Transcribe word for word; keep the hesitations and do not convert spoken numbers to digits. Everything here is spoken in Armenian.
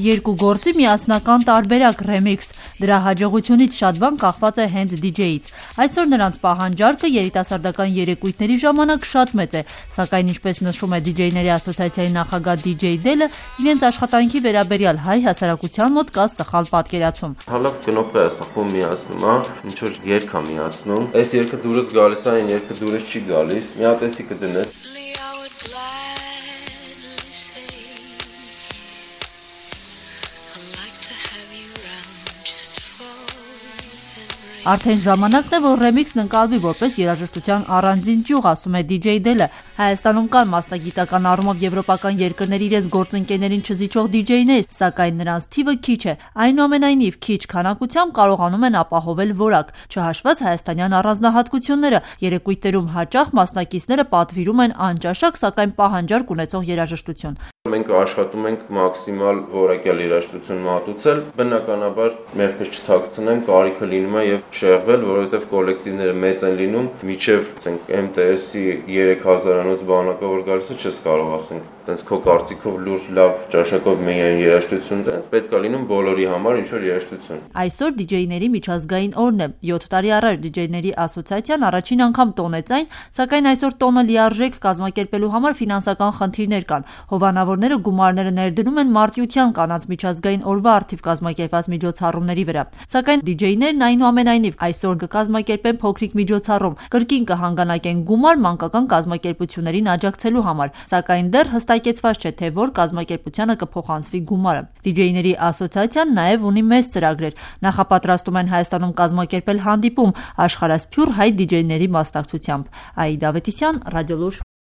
Երկու գործի միասնական տարբերակ ռեմիքս։ Դրա հաջողությունից շատ բան կախված է հենց դիջեյից։ Այսօր նրանց պահանջարկը երիտասարդական երեկույթների ժամանակ շատ մեծ է, սակայն ինչպես նշում է դիջեյների ասոցիացիայի նախագահ դիջեյ Դելը, իրենց աշխատանքի վերաբերյալ հայ հասարակության մոտ կա սխալ պատկերացում։ Հալավ գնոպը ասախում միացնում, հա, ինչ որ երգ է միացնում։ Այս երգը դուրս գալիս է, այն երգը դուրս չի գալիս։ Մի հատ էսի կդնես։ Արդեն ժամանակն է, որ ռեմիքսն ընկալվի որպես երաժշտության առանձին ճյուղ, ասում է դիջեյ Դելը։ Հայաստանում կան մասնագիտական առումով եվրոպական երկրների իրենց գործընկերներին չզիջող դիջեյներ, սակայն նրանց թիվը քիչ է։ Այնուամենայնիվ, քիչ քանակությամբ կարողանում են ապահովել որակ, չհաշված հայաստանյան առանձնահատկությունները։ Երեկույթներում հաճախ մասնակիցները պատվիրում են անճաշակ, սակայն պահանջարկ ունեցող երաժշտություն։ Մենք աշխատում ենք մաքսիմալ որակյալ երաժշտություն մատուցել, բնականաբար մեղքը չթաքցնենք, կարիքը լինում է եւ շեղվել, որովհետեւ կոլեկտիվները մեծ են լինում, միջև ասենք էմ տե էսի երեք հազարանոց բանակը որ գալիս է, չես կարող ասենք, տենց քո կարծիքով լուրջ լավ ճաշակով միայն երաժշտություն տես, պետք է լինում բոլորի համար ինչ որ երաժշտություն։ Այսօր դիջեյների միջազգային օրն է։ յոթ տարի առաջ դիջեյների ասոցիացիան առաջին անգամ տոնեց այն, սակայն այսօր տոնը լիարժեք կազմակերպելու համար ֆինանսական խնդիրներ կան։ Հովանավորները գումարները ներդնում են մարտիրոսյան կանանց միջազգային օրվա առթիվ կազմակերպված միջոցառումների վրա։ Սակայն դիջեյներն այնուամենայնիվ այսօր կկազմակերպեն փոքրիկ միջոցառում, կրկին կհանգանակեն գումար մանկական կազմակերպություններին աջակցելու համար, սակայն դեռ հստակեցված չէ, թե որ կազմակերպությանը կփոխանցվի գումարը։ Դիջեյների ասոցիացիան նաև ունի մեծ ծրագրեր։ Նախապատրաստում են Հայաստանում կազմակերպել հանդիպում աշխարհասփյուռ հայ դիջեյների մասնակցությամբ։ Աիդա Ավետիսյան, Ռադիոլուր։